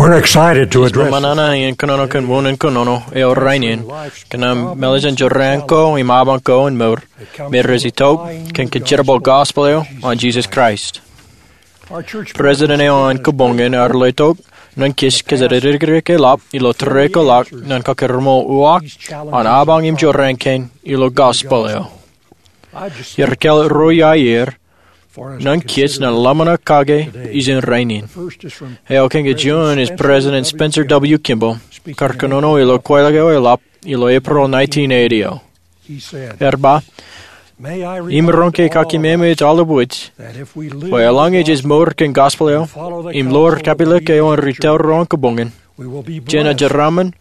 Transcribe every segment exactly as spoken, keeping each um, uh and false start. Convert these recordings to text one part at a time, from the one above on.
We're excited to address. Ij ṃōṇōṇō iien kōnono kōn wūnin kōnono eo rainin kōn aṃ mālejin jorrāān ko im abañ ko in mour me rej itok kōn kōjeraṃṃan gospel eo an Jesus Christ. President eo an kōbōnṃaanḷọk ear letok ñan kōj kōjatdikdik eḷap ilo tōre ko ḷọk ñan kōkōrṃool uwaak an abañ im jorrāān kein ilo gospel eo. Iar kāālōt ruo iiō aer ñan kōj ñan ḷōmṇak kake ijin rainin. Eo kōn kōjuon ej President Spencer W. Kimball, kar kōnono ilo kwaḷọk eo eḷap ilo April nineteen eighty eo. Ear ba, im roñ ke kakeememej aolep wōj, bwe eḷaññe jej mour kōn gospel eo im ḷoor kapilōk eo an ri tōl ro an kōbōnṃaanḷọk, jenaaj jeraaṃṃan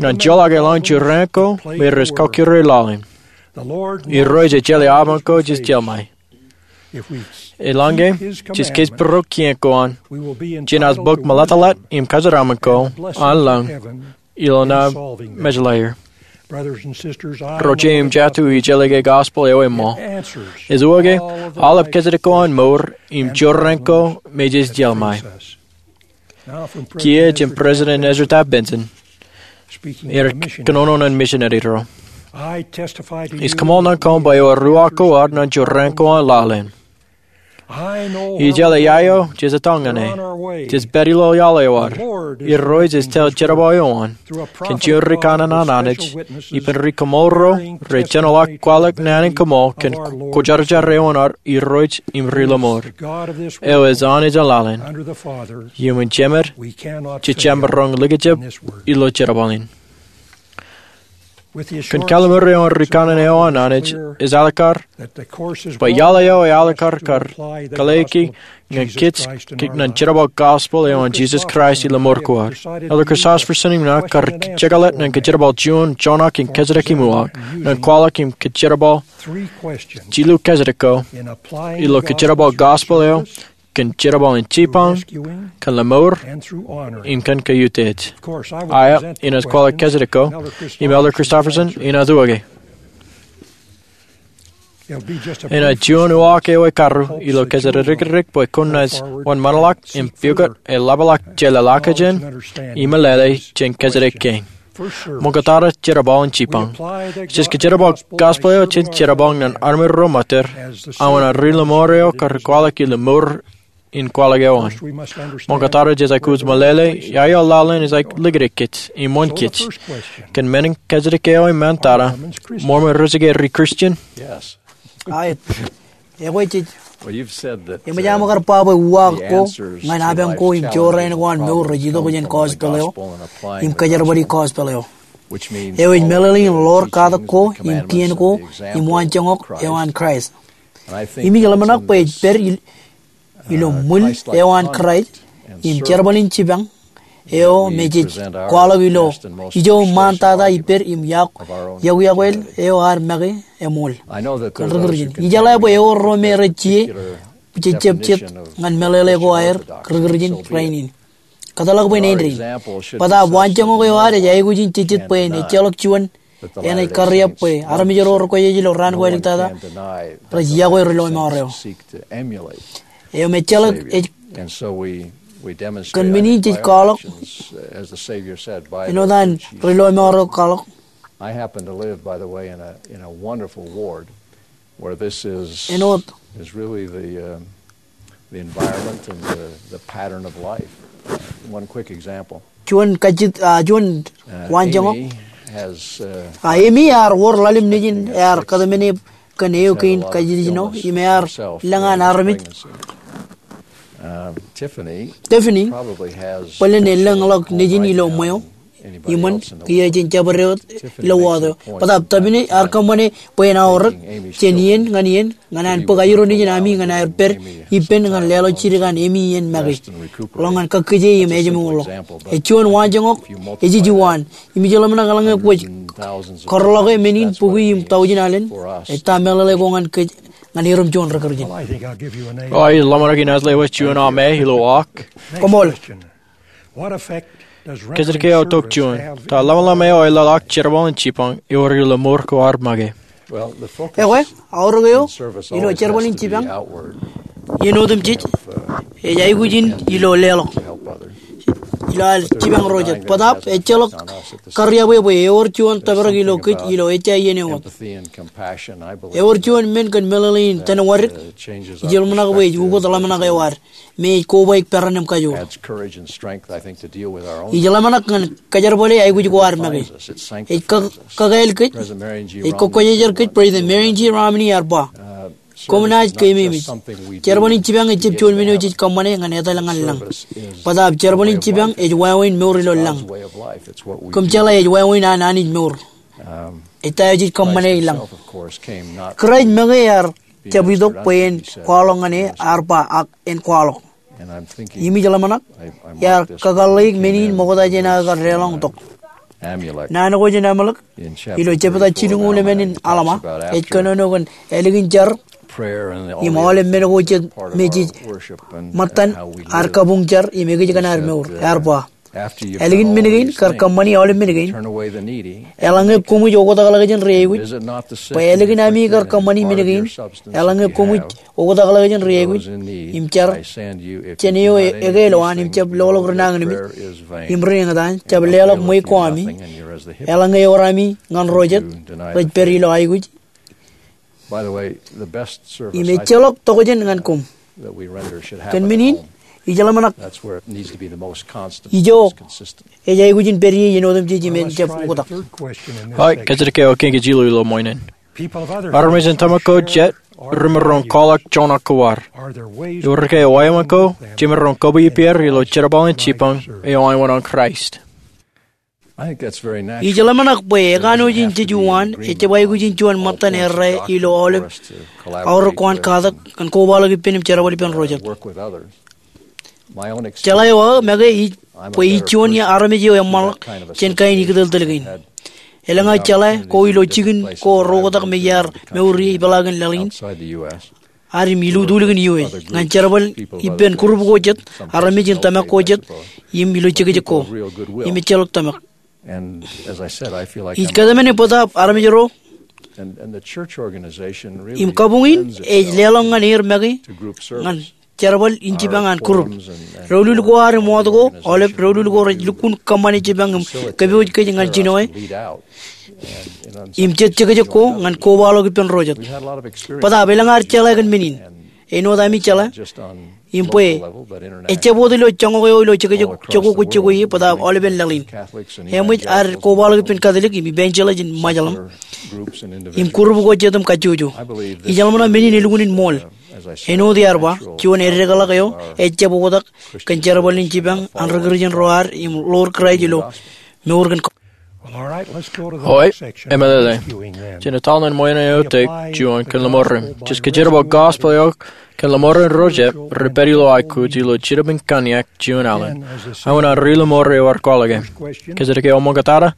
ñan joḷọk eḷaññe jorrāān ko me rej kọkkure laḷ in. Irooj ej jeḷā abañ ko jej jeḷā ṃae. Eḷaññe jej kōjparok kien ko an, jenaaj bōk meḷeḷeḷe im kōjeraaṃṃan ko an lañ ilo naan Mejelaer. Ro jet im jatū ij jeḷā ke gospel eo eṃṃool. Ej uwaak ke aolep kōjatdikdik ko an mour im jorrāān ko me jej jeḷā ṃae. Kiiō jān President Ezra Taft Benson, ear kōnono ñan misineri ro. Ij kōṃṃan ñan koṃ bwe ewōr uwaak ko ad ñan jorrāān ko an laḷ in. Ij jeḷā iiō jej etal ñan e. Jej pād ilo iaḷ eo ad. Irooj ej tōl jerbal eo an kōn juon ri kanaan an Anij, ippān ri kōṃṃool ro rej jenoḷọk kwaḷọk naan in kōṃṃool kōn kwōjarjar eo an ad Irooj im Ri-lọmọọr, eo ej Anij an laḷ in. Iuṃwin Jemed, jejjab maroñ likjab ilo jerbal in. Kōn kalliṃur eo an ri kanaan eo an Anij, ej ālikkar bwe iaḷ eo ealikkar kar kōḷḷāiki ñan kōj ñan jerbal gospel eo an Jesus Christ ilo mour ko ad. Elder Christofferson im ña kar jekḷet ñan kōjerbal juon joñak in kōjatdikdik im uwaak ñan kwaḷọk im kōjerbal jilu kōjatdikdik ko ilo kōjerbal gospel eo kōn jerbal in jipañ, kōn lọmọọr, im kōn kautiej. Aet, inaaj kwaḷọk kōjatdikdik ko, im Elder Christofferson enaaj uwaake. Enaaj juon uwaak eo ekaruo ilo kōjatdikdik bwe kwōnaaj wōnṃaanḷọk im pukot eḷapḷọk jeḷāḷọkjeṇ im meḷeḷe jān kōjatdikdik kein. Ṃoktata jerbal in jipañ. Jej kōjerbal gospel eo jān jerbal ñan armej ro ṃōttōr, aō an ri-lọmọọr eo kar kwaḷọk ilo mour in kwaḷọk eo an. Ṃoktata jej aikuj meḷeḷe iaḷ eo laḷ in ej likjlikjej im wōnkōj. Kōn men in kōjatdikdik eo iṃaan tata, Mormon rej ke ri-Christian? Aet. Ekwe jej, eṃōj aṃ kar ba bwe uwaak ko ñan abañ ko im jorrāān ko an mour rej itok jān gospel eo im kōjerbali gospel eo, eo ej meḷeḷe in ḷoor katak ko im kien ko im waanjoñak eo an Kraist. Im ij ḷōmṇak bwe ej pād ilo ṃwil eo an Kraist im jerbal in jipañ eo me jej kwaḷọk ilo ijo iṃaan tata ippād im yokwe eo ad make eṃool kōn ri-Kūrjin. Ijeḷā bwe ewōr ro me rej jijet jejjab jet ñan meḷeḷe ko aer ri-Kūrjin rainin. Kōtḷọk bwe en āindein. Bōtaab waanjoñak eo ad ej aikuj in jejjet bwe en ejjeḷọk juon enaaj kariab bwe armej ro rekwōjarjar ilo raan ko āliktata rej yokwe ri-lọmọọr eo. Eo me ejjeḷọk ej kōn men in jej kwaḷọk āinwōt an ri-lọmọọr eo kwaḷọk. I happen to live, by the way, in a, in a wonderful ward where this is, āinwōt, is really the, uh, the environment and the, the pattern of life. One quick example. Juon kajjitōk, ah, juon waanjoñak. Amy has, uh, ah, Amy ear wōr ḷalem nejin, ear kōtmāne kōn eo kein kajjitōk ijin eo, im ear lōñ an armej. Tiffany bōlen elōñḷọk nejin ilo ṃweo iṃōn kiiō jen jabdewōt ilo wōt eo. Bōtaab Tiffany ear kōṃṃane bwe en aorōk jān iien ñan iien ñan an bōk aerro nejin ami ñan aer pād ippān ñan leḷọk jidik an Amy iien make ḷọk ñan kakkije im ājmourḷọk. Ej juon waanjoñak ej ijin waan im ij ḷōmṇak eḷaññe kwōj kōrḷọke men in bukwi im taujin alen, ej ta meḷeḷe ko ñan kōj ñan erom juon ri-Kūrjin? O, ij ḷōmṇak inaaj lewōj juon aṃ ilo uwaak. Koṃṃool. Kōjatdikdik eo tok juon. Ta ḷōmṇak eo eḷḷọk jerbal in jipañ ewōr ilo mour ko ad make? Ekwe, aorōk eo ilo jerbal in jipañ iien otemjej ej aikuj in ilo leḷọk. ilo ad jipañ ro jet. Bōtaab ejjeḷọk kariab eo bwe ewōr juon tōprak ilo kōj ilo ejja iien eo wōt. Ewōr juon men kōn meḷeḷe in tōn wōdik, ij ḷōmṇak bwe ej ukōt ḷōmṇak eo ad me ej kobaik peran im kajoor. Ij ḷōmṇak ñan kōjerbale aikuj ko ad make. Ej kakāāl kōj, ej kōkkwōjarjar kōj. President Marion G. Romney ear ba, koṃ naaj keememej. Jerbal in jipañ ejjab juon men eo jej kōṃṃane ñan etal ñan lañ. Bōtaab jerbal in jipañ ej wāween mour ilo lañ. Kōm jeḷā ej wāween an Anij mour. Ej ta eo jej kōṃṃane i lañ. Kraist make ear jab itok bwe en kwaḷọk ñan e, ear ba, ak en kwaḷọk. Im ij ḷōmṇak iar kakōḷḷeik men in ṃokta jān aō kar deḷọñtok. Naan ko jān Amalek ilo jebta jilñuul emān in Alma ej kōnono kōn ālikin jar im aolep men ko jet me jej ṃōttan ad kabuñ jar im ekōjkan ad mour. Ear ba, ālikin men kein kar kōṃṃani aolep men kein, eḷaññe koṃij oktakḷọk jān ri aikuj. Bwe ālikin ami kar kōṃṃani men kein, eḷaññe koṃij oktakḷọk jān ri aikuj im jar jān eo eke ilowaan im jab loḷọk ri nañinmej im ri eñtaan, jab leḷọk ṃweiuk ko ami, eḷaññe ewōr ami ñan ro jet rej pād ilo aikuj. Im ejjeḷọk tokjān ñan koṃ. Kōn men in, ij ḷōmṇak ijo ej aikuj in pād ie iien otemjej im en jab oktak. Kōjatdikdik eo kein kōj ilo ṃool in. Armej in tōmak ko jet remaroñ kwaḷọk joñak ko ad. Ewōr ke wāween ko jemaroñ kōbwe ippāer ilo jerbal in jipañ eo an wōṇāān Kraist? Ij ḷōmṇak bwe ekanooj in jeju waan ejjab aikuj in juon ṃōttan errā ilo aolep aorōk ko an katak kōn kobaḷọk ippān im jerbal ippān ro jet. Jeḷā eo aō make ij bwe ij juon armej eo eṃṃanḷọk jān kain ikōtōltōl kein. Elōñ aō jeḷā ko ilo jikin ko ro oktak me iar mour ie ipeḷaakin laḷ in ad im ilutulikin U S ñan jerbal ippān group ko jet, armej in tōmak ko jet, im ilo jekjek ko im ejjeḷọk tōmak. Ij kōtmāne bōtaab armej ro im kabuñ in ej leḷọk ñan er make ñan jerbal in jipañ an group. Doulul ko ad im wōt ko, aolep doulul ko rej lukkuun kōṃṃane jipañ im kōpooj kōj ñan jinoe im jet jekjek ko ñan kobaḷọk ippān ro jet. Bōtaab elōñ ad jeḷā kōn men in. Āinwōt ami jeḷā im bwe ejjab wōt ilo joñak eo ilo jekjek ko kwōj jokwe ie bōtaab aolepen laḷ in. Eṃōj ad kobaḷọk ippān Katolik im evangelist in Muslim im group ko jet im kajjojo. Ij ḷōmṇak men in elukkuun in ṃool. Āinwōt iar ba, juon eddekḷọk eo ejjab oktak kōn jerbal in jipañ an ri Kūrjin ro ad im ḷoor Kraist ilo mour kōn Oi, emeḷeḷe. Jen etal ñan ṃool in eo tok juon kōn lọmọọren. Jej kōjerbal gospel eo kōn lọmọọren ro jet rej pād ilo aikuj ilo Jineb in Kōnyak juon alen. Aō an ri lọmọọren eo ear kwaḷọk e. Kōjatdikdik eo ṃōñā tata.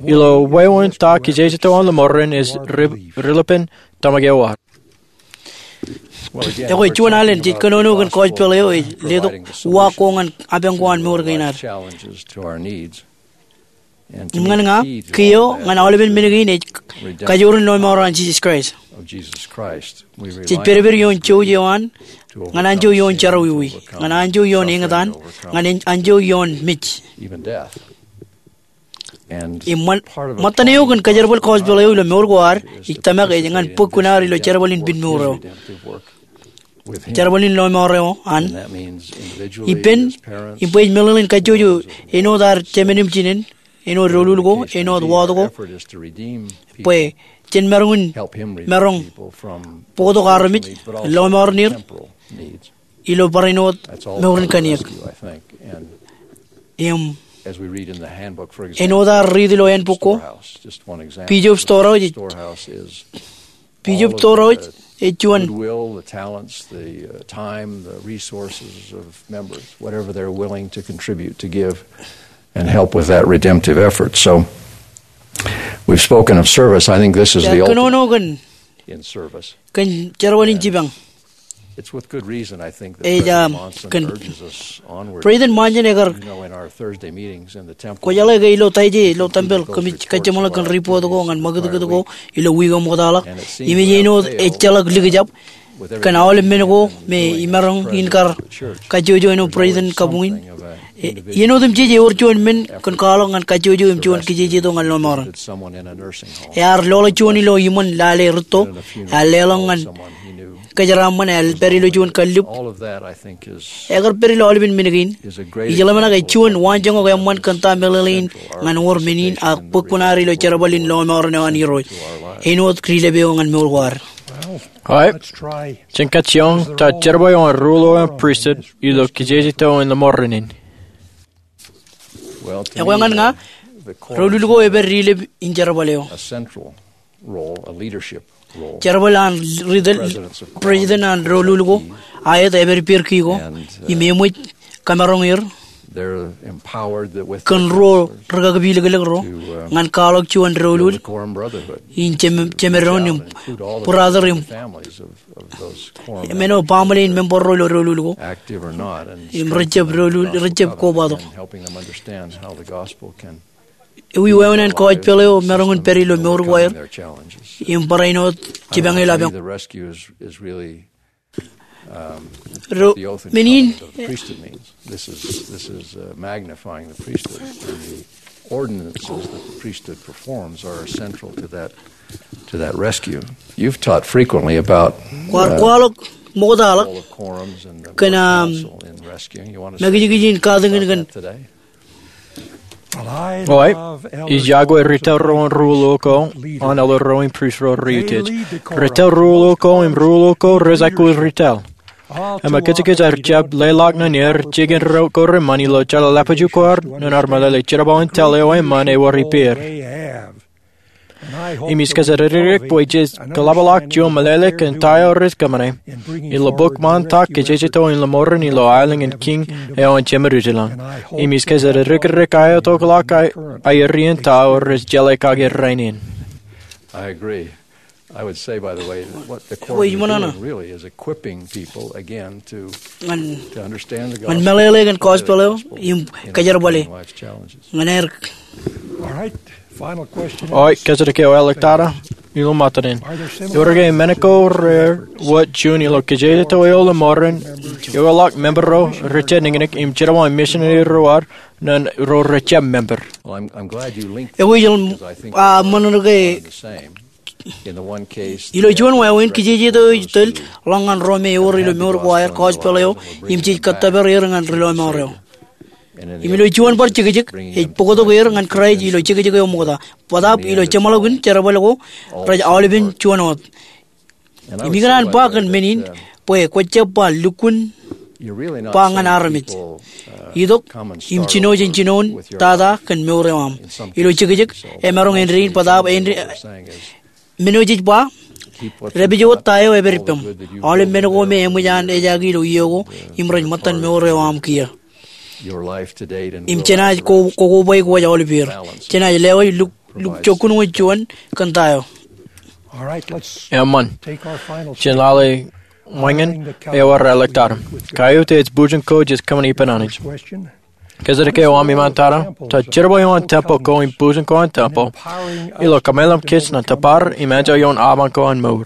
Ilo wāween ta kijeje to an lọmọọren ej ri-, ri-lipen tōmak eo ad. Ekwe juon alen jej kōnono kōn gospel eo ej letok uwaak ko ñan apañ ko an mour kein ad. Im ñan ña, kiiō ñan aolepen men kein ej kajoor in lọmọọr an Jisōs Kraist. Jej pedped ioon jouj eo an, ñan anjọ ioon jerọwiwi, ñan anjọ ioon eñtaan, ñan anjọ ioon mej. Im ṃōttan eo kōn kajerbal gospel eo ilo mour ko ad, ij tōmak ej ñan bōk kuṇaad ilo jerbal in pen mour eo. Jerbal in lọmọọr eo an. Ippān, im bwe ej meḷeḷein kajjojo āinwōt ad jemān im jinen, āinwōt doulul ko, āinwōt wōt ko. Bwe jen maroñ in, maroñ bōktok armej, lọmọọren er ilo barāinwōt mour in kōnyak. Im āinwōt ad riit ilo handbook ko, Bishop Storehouse, Bishop Storehouse ej juon. Goodwill, the talents, the, uh, time, the resources of members, whatever they're willing to contribute, to give and help with that redemptive effort. So we've spoken of service. I think this is the ultimate in service. Kōn jerbal in jipañ. Ej, um, kōn President Monson ekar, kwōjeḷā ke ilo Taije ilo tempel kōmij kajjimḷọk kōn report ko ñan ṃakūtkūt ko ilo wiik eo ṃoktaḷọk. Im ej āinwōt ejjeḷọk likjab kōn aolep men ko me imaroñ in kar kajjojo āinwōt President kabuñ in. Iien otemjej ewōr juon men kōn kwaḷọk ñan kajjojo im juon kijejeto ñan lọmọọren. Ear loḷọk juon ilo iṃōn lale rūtto, ear leḷọk ñan kōjeraaṃṃan, ear pād ilo juon kallib. Ekar pād ilo aolepen men kein. Ij ḷōmṇak ej juon waanjoñak eṃṃan kōn ta meḷeḷe in ñan wōr men in ak bōk kuṇaad ilo jerbal in lọmọọren eo an Irooj. Āinwōt ri-lōb eo ñan mour ko ad. Jen kajjioñ ta jerbal eo an ruo ḷọk eo an pristut ilo kijejeto in lọmọọren in. Ekwe ñan ña, doulul ko epād ri-lōb in jerbal eo. Jerbal an ri-tōl, president an doulul ko, aet epād ippāer kiiō, im eṃōj kamaroñ er kōn ruo rūkaki pilōklōk ro ñan kwaḷọk juon doulul in jemeddoon im brother im men eo baaṃle in member ro ilo doulul ko im rejjab doulul, rejjab kobatok. Ewi wāween an gospel eo maroñ in pād ilo mour ko aer im barāinwōt jipañ ilo apañ. Ro men in. This is, this is uh, magnifying the priesthood. And the ordinances that the priesthood performs are central to that, to that rescue. You've taught frequently about, kwaar kwaḷọk ṃoktaḷọk kōn, um, mekijkij in katakin kōn Ij iọkwe ri-tōl ro an ruo ḷọk ko an elder ro im prist ro rej utiej. Ri-tōl ruo ḷọk ko im ruo ḷọk ko rej aikuj ri-tōl. Im kōjkōj ar jab leḷọk ñan er jikin ro ko reṃṃan ilo jeḷāḷọkjeṇ ko ad ñan ar meḷeḷe jerbal in tōl eo eṃṃan ewōr ippāer. Im ij kōjatdikdik bwe jej kōḷapḷọk juon meḷeḷe kōn ta eo rej kōṃṃane ilo bok ṃaantak kijejeto in lọmọọren ilo aelōñ in Kiiñ eo an Jemedwōj ilañ. Im ij kōjatdikdik aō tokḷọk aer iien ta eo rej jeḷā kake rainin. I agree. I would say, by the way, that what the Quorum is doing really is equipping people again to, to understand the gospel, ñan meḷeḷe kōn gospel eo im kajerbale ñan aer. All right. Eo kōjatdikdik eo āliktata ilo ṃōttan in. Ewōr ke men ko rewōj juon ilo kijejeto eo lọmọọren eo eḷọk member ro rej jab niknik im jerbal in misineri ro ad ñan ro rej jab member. Ewi ej ṃōṇōṇō ke ilo juon wāween kijejeto ej tōl ḷọk ñan ro me ewōr ilo mour ko aer gospel eo im jej kōttōpar er ñan ri lọmọọr eo. Im ilo juon bar jekjek ej bōktok er ñan Kraist ilo jekjek eo ṃokta. Bōtaab ilo jeṃḷọkin jerbal ko rej aolepen juon wōt. Im ikōṇaan ba kōn men in bwe kwōjab ba lukkuun ba ñan armej. Itok im jino jān jinoin tata kōn mour eo aṃ. Ilo jekjek emaroñ āindein bōtaab āindein men eo jej ba, dāpij wōt ta eo epād ippaṃ. Aolep men ko me eṃōj an ejaaki ilo iiō ko im rej ṃōttan mour eo aṃ kiiō. Im jenaaj ko, kokobaik wōj aolepeer. Jenaaj lewōj luk, luk jokkun wōj juon kōn ta eo. Eṃṃan. Jen lale ṃōñā eo ad āliktata. Kaiuta ej bujin ko jej kōṃṃani ippān Anij. Kōjatdikdik eo aṃ iṃaan tata, ta jerbal eo an tempeḷ ko im bujin ko an tempeḷ ilo kōmeḷeḷe kōj ñan tōpar im enjeḷ ioon apañ ko an mour.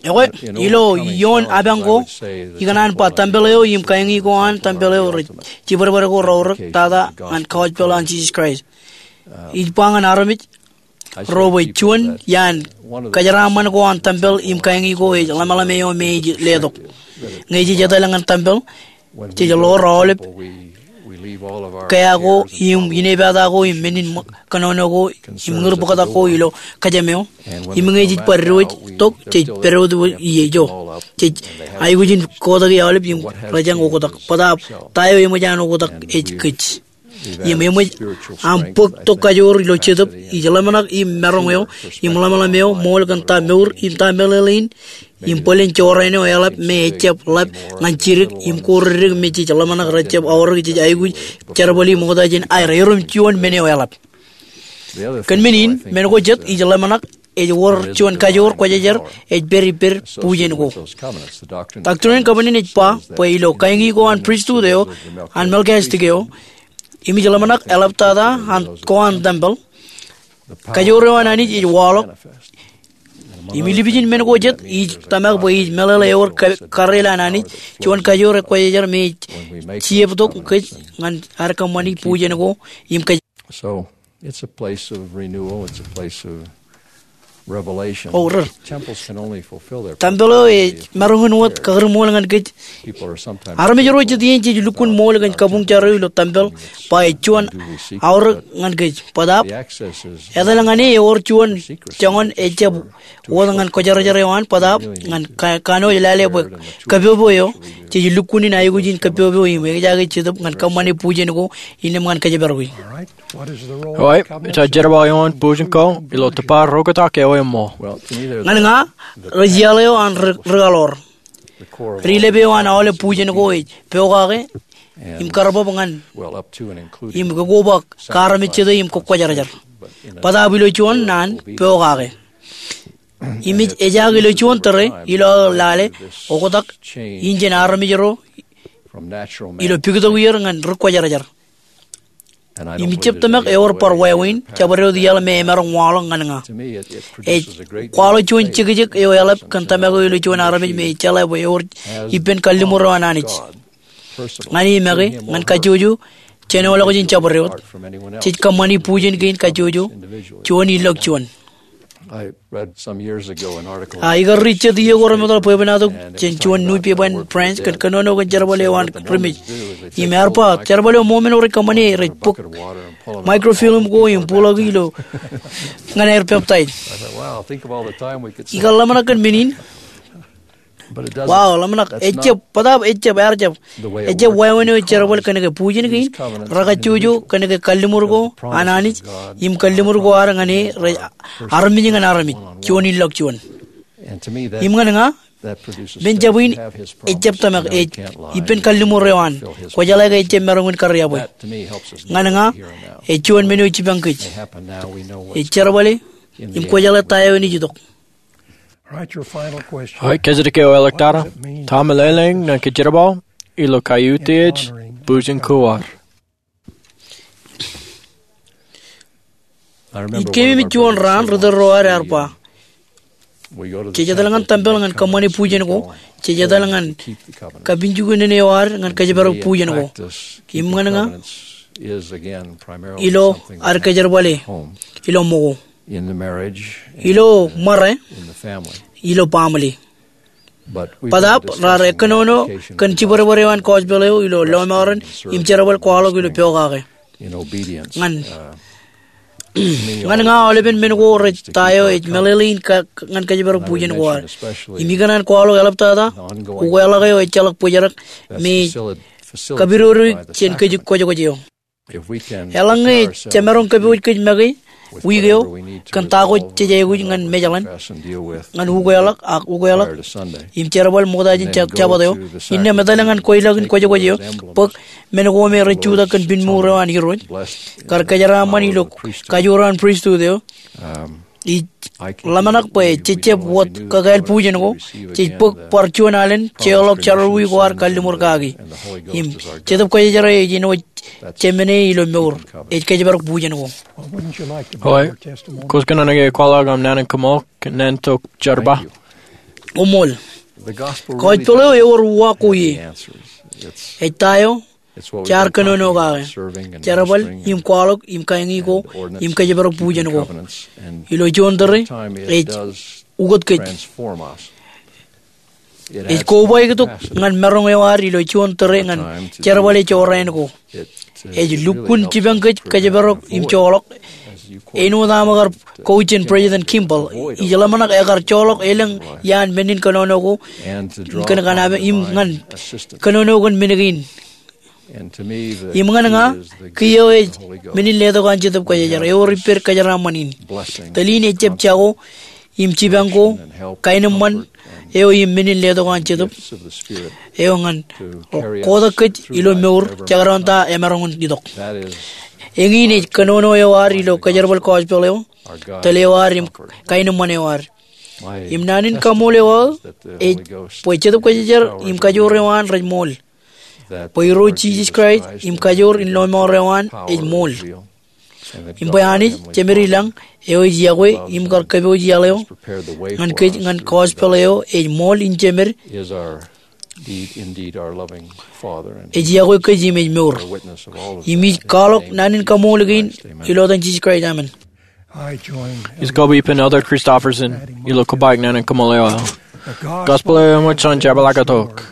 Ekwe, ilo ioon apañ ko, ikōṇaan ba tempeḷ eo im kaeñi ko an tempeḷ eo rej jibadbad ko reorōk tata ñan gospel an Jisōs Kraist. Ij ba ñan armej ro bwe juon iaan kajeraaṃṃan ko an tempeḷ im kaeñi ko ej ḷōmṇak eo me ej letok. Ñe jej etal ñan tempeḷ, jej ḷoor aolep kea ko im inepata ko im men in kōnono ko im ñūr bōktak ko ilo kōjām eo. Im ñe jej bar diwōj tok, jej pād wōt ijo. Jej aikuj in kotaki aolep im rej jañ oktak. Bōtaab ta eo eṃōj an oktak ej kōj. Im eṃōj aṃ bōk tok kajoor ilo Jetōb, ij ḷōmṇak im maroñ eo im ḷōmṇak eo ṃool kōn ta mour im ta meḷeḷe in im bōlen jorrāān eo eḷap me ejjab ḷap ñan jidik im ko dik me jej ḷōmṇak rejjab aorōk jej aikuj jerbali ṃokta jān aer erom juon men eo eḷap. Kōn men in, men ko jet ij ḷōmṇak ej wōr juon kajoor kwōjarjar ej pād ippād bujen ko. Doctrine and Covenants ej ba bwe ilo kaeñi ko an pristut eo an Melchizedek eo, im ij ḷōmṇak eḷaptata an ko an tempeḷ, kajoor eo an Anij ej waḷọk Im ilipijin men ko jet, ij tōmak bwe ij meḷeḷe ewōr ka-, kareel an Anij, juon kajoor ekwejejer me ej jeiū tok kōj ñan ad kōṃṃani bujen ko im kōj. So, it's a place of renewal, it's a place of revelation. O, ri. Temples can only fulfill their purpose. Tempel eo ej maroñ in wōt kakūrṃool ñan kōj. Armej ro jet iien jej lukkuun ṃool kōn kabuñ jar eo ilo tempel, ba ej juon aorōk ñan kōj. Bōtaab, etal ñan e ewōr juon joñan ejjab wōt ñan kwōjarjar eo an, bōtaab ñan ka-, kanooj lale bwe kōpopo eo, jej lukkuun in aikuj in kōpopo im ejaake Jetōb ñan kōṃṃane bujen ko, innām ñan kōjparok e. Eo, ej jerbal eo an bujen ko ilo tōpar roñjake eo eṃṃool. Ñan ña, rej iaḷ eo an ri-, rikaḷoor. Ri-lep eo an aolep bujen ko ej pokake im karbab ñan im kokoba kaarmejjete im kwōjarjar. Bōtaab ilo juon naan pokake. Im ej, ejaak ilo juon tōre ilo aō lale oktak in jān armej ro ilo pikitok ier ñan ri kwōjarjar. Im ij jab tōmak ewōr bar wāween, jabdewōt iaḷ me emaroñ waḷọk ñan ña. Ej kwaḷọk juon jekjek eo eḷap kōn tōmak eo ilo juon armej me ej jeḷā bwe ewōr ippān kalliṃur eo an Anij. Ñan e make, ñan kajjojo, jān aolep jān jabdewōt, jej kōṃṃani bujen kein kajjojo, juon ilọk juon. A, ikar ri jet iiō ko remootḷọk bwebwenato jān juon nupepa in France kōn kōnono kōn jerbal eo an ri mej. Im ear ba, jerbal eo ṃool men eo rej kōṃṃane, rej bōk microfilm ko im buḷọk ilo ñan aer peptaij. Ikar ḷōmṇak kōn men in. Wow, ḷōmṇak, ejjab, bōtaab ejjab, ear jab. Ejjab wāween eo ej jerbal kōnke bujen kein, rekajjojo kōnke kalliṃur ko an Anij, im kalliṃur ko ad ñan e rej armej ñan armej, juon ilọk juon. Im ñan ña, men jab in, ejjab tōmak, ej ippān kalliṃur eo an, kwōjeḷā ke ejjab maroñ in kariab e. Ñan ña, ej juon men eo jipañ kōj. Ej jerbale, im kwōjeḷā ta eo enaaj itok. Eo, kōjatdikdik eo eo ḷọk tata. Ta meḷeḷein ñan kōj jerbal ilo kautiej bujen ko ad? Ij keememej juon raan ri tōl ro ad ear ba, jej etal ñan tempel ñan kōṃṃane bujen ko, jej etal ñan kapinjuknen eo ad ñan kōjparok bujen ko. Im ñan ña, ilo ad kōjerbale, ilo ṃōko, ilo ṃare, ilo baaṃle. Bōtaab raar ekkōnono kōn jibadbad eo an gospel eo ilo lọmọọren im jerbal kwaḷọk ilo pokake. Ñan, ñan ña aolepen men ko rej ta eo ej meḷeḷein ka-, ñan kōjparok bujen ko ad. Im ikōṇaan kwaḷọk eḷaptata, ukeḷọk eo ejjeḷọk bōjrak me ej kapidodoik jān kōj kwōjkwōj eo. Eḷaññe jemaroñ kōpooj kōj make wiik eo kōn ta ko jej aikuj ñan mejaḷan, ñan ukeḷọk ak ukeḷọk im jerbal ṃokta jān Jab-, Jabōt eo, innām etale ñan kweilọk in kwōjkwōj eo, bōk men ko me rej jutak kōn pinmour eo an Irooj, kar kōjeraaṃṃan ilo kajoor an pristut eo, Ij ḷōmṇak bwe jej jab wōt kakāāl bujen ko, jej bōk bar juon alen jeorḷọk jerọwiwi ko ad kalliṃur kaki. Im Jetōb Kwōjarjar eo ej āinwōt jemāne ilo mour, ej kōjparok bujen ko. Eo, kwōj kōnono ke kwaḷọk aṃ naan in kōṃṃool kōn naan tok jerbal? Koṃṃool. Gospel eo ewōr uwaak ko ie. Ej ta eo jaar kōnono kake. Jerbal im kwaḷọk im kañi ko im kōjparok bujen ko. Ilo juon tōre ej ukōt kōj. Ej kobaik tok ñan maroñ eo ad ilo juon tōre ñan jerbale jorrāān ko. Ej lukkuun jipañ kōj kōjparok im joḷọk. Āinwōt aṃ kar quote jān President Kimball, ij ḷōmṇak ekar joḷọk elōñ iaan men in kōnono ko kōn kōṇaan im ñan kōnono kōn men kein. Im ñan ña, kiiō ej men in letok an Jetōb Kwōjarjar, ewōr ippād kōjeraaṃṃan in. Tōl in ejjab jako im jipañ ko, kaenōṃṃan eo im men in letok an Jetōb eo ñan kotak kōj ilo mour, jekdọọn ta emaroñ in itok. Eñin ej kōnono eo ad ilo kōjerbal gospel eo, tōl eo ad im kaenōṃṃan eo ad. Im naan in kaṃṃoolol eo aō ej bwe Jetōb Kwōjarjar im kajoor eo an rej ṃool. Bwe Irooj Jisōs Kraist im kajoor in lọmọọr eo an ej ṃool. im bwe Anij, Jemed ilañ, eo ej yokwe im kar kōpooj iaḷ eo ñan kōj ñan gospel eo ej ṃool in jemed, ej yokwe kōj im ej mour. Im ij kwaḷọk naan in kaṃool kein ilo etan Jisōs Kraist, amen. Ij kōḷmānḷọk ippān Elder Christofferson ilo kōbaik naan in kaṃool eo aō. Gospel eo eṃōj jān jepḷaaktok.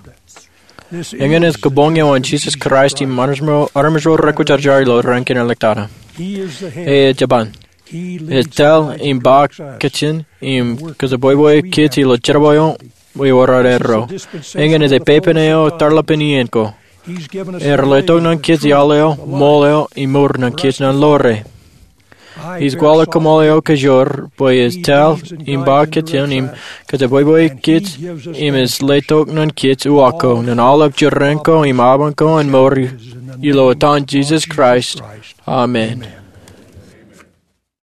Eñin ej kabuñ eo an Jisōs Kraist im armej ro rekwōjarjar ilo raan kein ḷōmṇak. E ej jaban. Ej tōl im ba kajjien im kōjebwebwe kōj ilo jerbal eo im ororerro. Eñin ej pepen eo tarlapen iien ko. Ear letok ñan kōj iaḷ eo, ṃool eo, im mour ñan kōj ñan ḷoore. Ij kwaḷọk kaṃool eo kajoor bwe ej tōl im ba kajjien im kōjebwebwe kōj im ej letok ñan kōj uwaak ko ñan aolep jerbal ko im aban ko an mour, ilo etan Jisōs Kraist, amen.